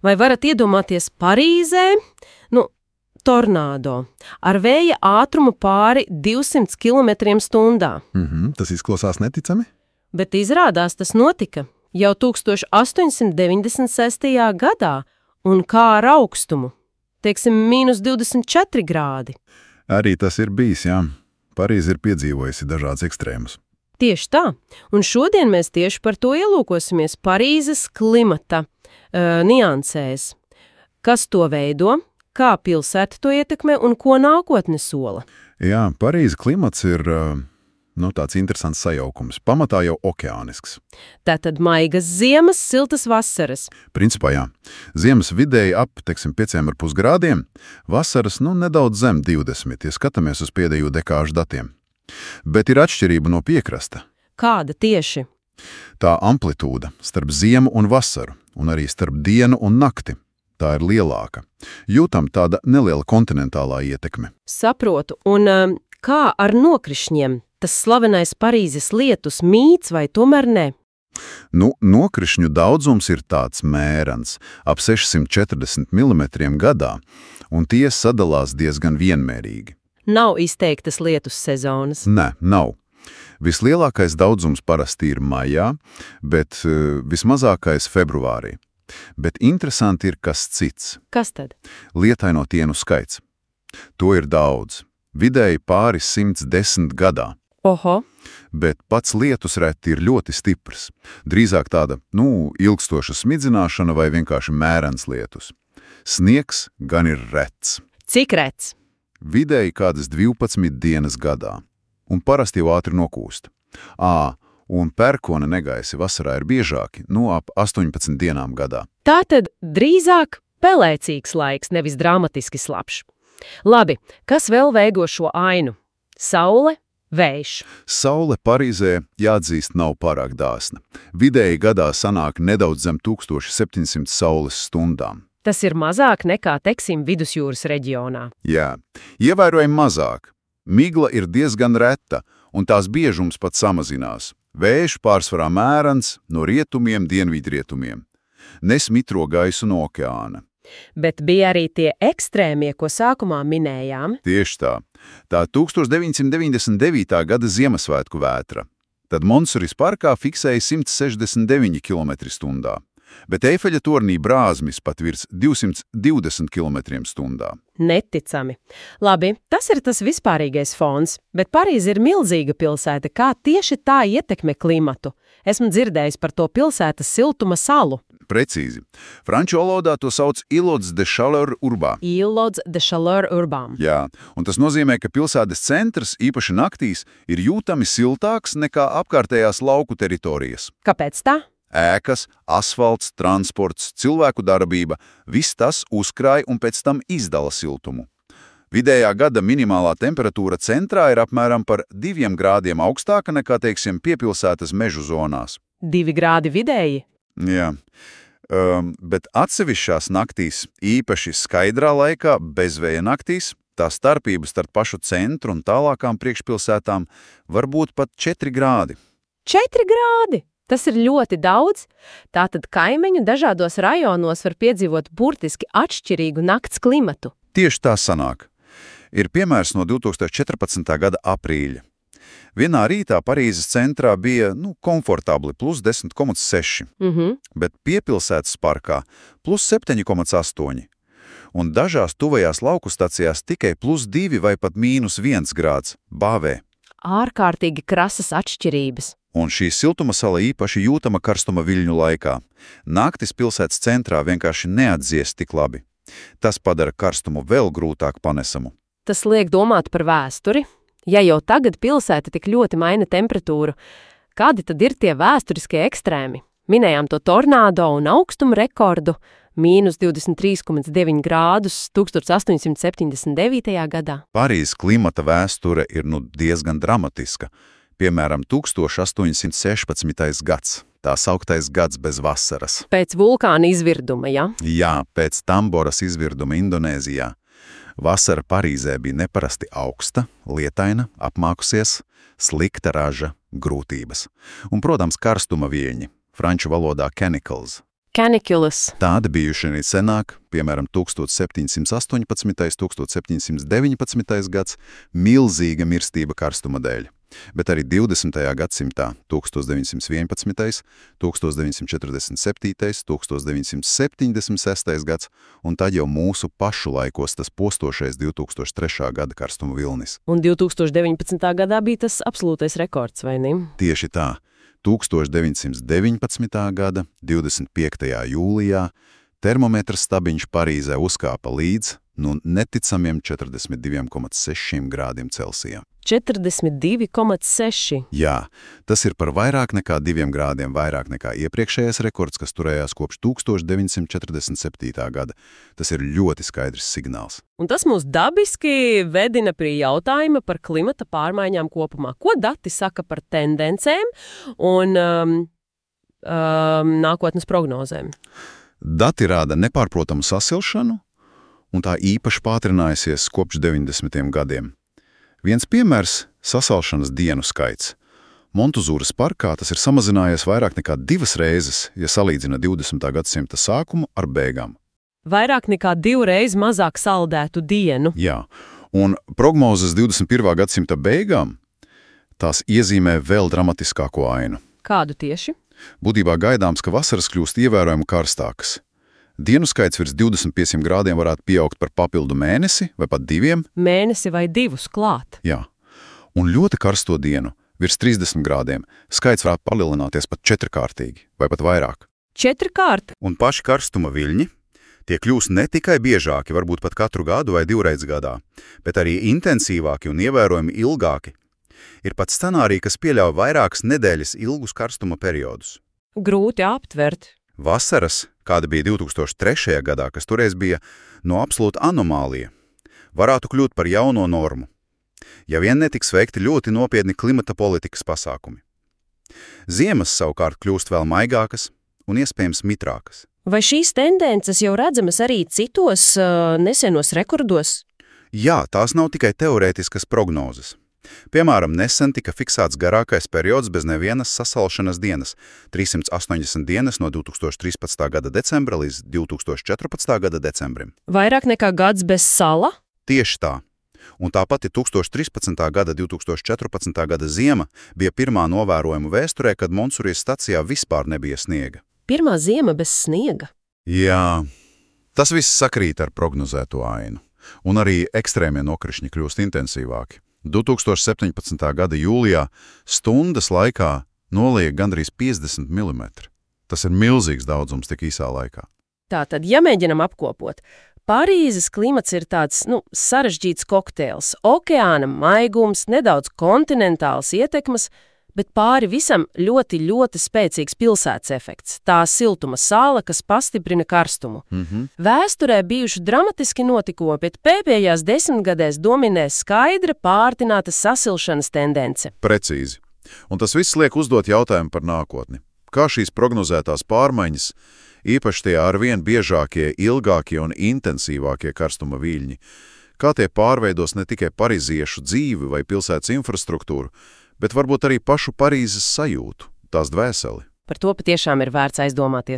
Vai varat iedomāties Parīzē, tornādo ar vēja ātrumu pāri 200 km/h? Tas izklausās neticami? Bet izrādās tas notika jau 1896. gadā, un kā ar augstumu, teiksim, -24 grādi. Arī tas ir bijis, jā. Parīze ir piedzīvojusi dažādas ekstrēmus. Tieši tā, un šodien mēs tieši par to ielūkosimies Parīzes klimata niansēs. Kas to veido, kā pilsēta to ietekmē un ko nākotne sola? Jā, Parīzes klimats ir tāds interesants sajaukums. Pamatā jau okeānisks. Tātad maigas ziemas, siltas vasaras. Principā jā. Ziemas vidēji ap, 5,5 grādiem, vasaras nedaudz zem 20, ja skatāmies uz pēdējo dekāžu datiem. Bet ir atšķirība no piekrasta. Kāda tieši? Tā amplitūda starp ziemu un vasaru, un arī starp dienu un nakti. Tā ir lielāka. Jūtam tāda neliela kontinentālā ietekme. Saprotu, un kā ar nokrišņiem? Tas slavenais Parīzes lietus mīts vai tomēr ne? Nokrišņu daudzums ir tāds mērens, ap 640 mm gadā, un tie sadalās diezgan vienmērīgi. Nav izteiktas lietus sezonas. Nē, nav. Vislielākais daudzums parasti ir maijā, bet vismazākais februārī. Bet interesanti ir kas cits. Kas tad? Lietaino dienu skaits. To ir daudz. Vidēji pāri 110 gadā. Oho. Bet pats lietus reti ir ļoti stiprs. Drīzāk tāda, ilgstoša smidzināšana vai vienkārši mērens lietus. Sniegs gan ir rets. Cik rets? Vidēji kādas 12 dienas gadā. Un parasti jau ātri nokūst. Un pērkona negaisi vasarā ir biežāki, ap 18 dienām gadā. Tātad drīzāk pelēcīgs laiks, nevis dramatiski slapjš. Labi, kas vēl veido šo ainu? Saule, vējš. Saule Parīzē, jāatzīst, nav pārāk dāsna. Vidēji gadā sanāk nedaudz zem 1700 saules stundām. Tas ir mazāk nekā, teiksim, vidusjūras reģionā. Jā, ievērojami mazāk. Migla ir diezgan reta, un tās biežums pat samazinās. Vējš pārsvarā mērens no rietumiem, dienvidrietumiem. Nes mitro gaisu no okeāna. Bet bija arī tie ekstrēmie, ko sākumā minējām. Tieši tā. Tā 1999. gada Ziemassvētku vētra. Tad Monsuris parkā fiksēja 169 km/h. Bet Eifeļa tornī brāzmis pat virs 220 km/h. Neticami. Labi, tas ir tas vispārīgais fons, bet Parīze ir milzīga pilsēta. Kā tieši tā ietekmē klimatu? Esmu dzirdējis par to pilsētas siltuma salu. Precīzi. Franču valodā to sauc Îlots de Chaleur Urbain. Îlots de Chaleur Urbain. Jā, un tas nozīmē, ka pilsētas centrs, īpaši naktīs, ir jūtami siltāks nekā apkārtējās lauku teritorijas. Kāpēc tā? Ēkas, asfalts, transports, cilvēku darbība – viss tas uzkrāj un pēc tam izdala siltumu. Vidējā gada minimālā temperatūra centrā ir apmēram par 2 grādiem augstāka nekā, teiksim, piepilsētas mežu zonās. 2 grādi vidēji? Jā, bet atsevišķās naktīs, īpaši skaidrā laikā, bezvēja naktīs, tā starpība starp pašu centru un tālākām priekšpilsētām var būt pat 4 grādi. 4 grādi? Tas ir ļoti daudz. Tātad kaimiņu dažādos rajonos var piedzīvot burtiski atšķirīgu nakts klimatu. Tieši tā sanāk. Ir piemērs no 2014. gada aprīļa. Vienā rītā Parīzes centrā bija, komfortabli plus 10,6, bet piepilsētas parkā plus 7,8. Un dažās tuvajās lauku stacijās tikai plus 2 vai pat -1 grāds bāvē. Ārkārtīgi krasas atšķirības. Un šī siltuma sala īpaši jūtama karstuma viļņu laikā. Naktis pilsētas centrā vienkārši neatdzies tik labi. Tas padara karstumu vēl grūtāk panesamu. Tas liek domāt par vēsturi. Ja jau tagad pilsēta tik ļoti maina temperatūru, kādi tad ir tie vēsturiskie ekstrēmi? Minējām to tornādo un augstumu rekordu -23,9 grādus 1879. gadā. Parīzes klimata vēsture ir diezgan dramatiska. Piemēram, 1816. gads, tā sauktais gads bez vasaras. Pēc vulkāna izvirduma, ja? Jā, pēc Tamboras izvirduma Indonēzijā. Vasara Parīzē bija neparasti augsta, lietaina, apmākusies, slikta raža, grūtības. Un, protams, karstuma viļņi, franču valodā canicles. Caniculas. Tādi bijuši arī senāk, piemēram, 1718. 1719. gads, milzīga mirstība karstuma dēļ. Bet arī 20. gadsimtā 1911, 1947, 1976. gads, un tad jau mūsu pašu laikos tas postošais 2003. gada karstuma vilnis. Un 2019. gadā bija tas absolūtais rekords, vai ne? Tieši tā. 1919. gada 25. jūlijā termometra stabiņš Parīzē uzkāpa līdz neticamiem 42,6 grādiem Celsijā. 42,6. Jā, tas ir par vairāk nekā 2 grādiem vairāk nekā iepriekšējais rekords, kas turējās kopš 1947. gada. Tas ir ļoti skaidrs signāls. Un tas mūs dabiski vedina pie jautājuma par klimata pārmaiņām kopumā. Ko dati saka par tendencēm un nākotnes prognozēm? Dati rāda nepārprotamu sasilšanu, un tā īpaši pātrinājusies kopš 90. gadiem. Viens piemērs – sasalšanas dienu skaits. Montuzūras parkā tas ir samazinājies vairāk nekā 2 reizes, ja salīdzina 20. gadsimta sākumu ar beigām. Vairāk nekā 2 reizes mazāk saldētu dienu. Jā, un prognozes 21. gadsimta beigām tās iezīmē vēl dramatiskāko ainu. Kādu tieši? Būtībā gaidāms, ka vasaras kļūst ievērojami karstākas. Dienu skaits virs 25 grādiem varētu pieaugt par papildu mēnesi vai pat 2. Mēnesi vai 2 klāt. Jā, un ļoti karsto dienu virs 30 grādiem skaits varētu palielināties pat 4-kārtīgi vai pat vairāk. 4-kārt? Un paši karstuma viļņi tie kļūs ne tikai biežāki, varbūt pat katru gadu vai 2 reizes gadā, bet arī intensīvāki un ievērojami ilgāki. Ir pat scenāriji, kas pieļauj vairākas nedēļas ilgus karstuma periodus. Grūti aptvert. Vasaras, kāda bija 2003. gadā, kas toreiz bija absolūta anomālija, varētu kļūt par jauno normu, ja vien netiks veikti ļoti nopietni klimata politikas pasākumi. Ziemas savukārt kļūst vēl maigākas un iespējams mitrākas. Vai šīs tendences jau redzamas arī citos nesenos rekordos? Jā, tās nav tikai teorētiskas prognozes. Piemēram, nesen tika fiksēts garākais periods bez nevienas sasalšanas dienas – 380 dienas no 2013. gada decembra līdz 2014. gada decembrim. Vairāk nekā gads bez sala? Tieši tā. Un tāpat 2013. gada 2014. gada ziema bija pirmā novērojuma vēsturē, kad Monsurijas stacijā vispār nebija sniega. Pirmā ziema bez sniega? Jā, tas viss sakrīt ar prognozēto ainu. Un arī ekstrēmie nokrišņi kļūst intensīvāki. 2017. gada jūlijā stundas laikā nolija gandrīz 50 mm. Tas ir milzīgs daudzums tik īsā laikā. Tātad, ja mēģinam apkopot, Parīzes klimats ir tāds, sarežģīts kokteils. Okeāna maigums, nedaudz kontinentāls ietekmes, bet pāri visam ļoti, ļoti spēcīgs pilsētas efekts. Tā siltuma sāla, kas pastiprina karstumu. Vēsturē bijuši dramatiski notikumi, bet pēdējās 10 gadēs dominē skaidra pārtināta sasilšanas tendence. Precīzi. Un tas viss liek uzdot jautājumu par nākotni. Kā šīs prognozētās pārmaiņas, īpaši tie arvien biežākie, ilgākie un intensīvākie karstuma viļņi, kā tie pārveidos ne tikai pariziešu dzīvi vai pilsētas infrastruktūru, bet varbūt arī pašu Parīzes sajūtu, tās dvēseli. Par to patiešām ir vērts aizdomāties.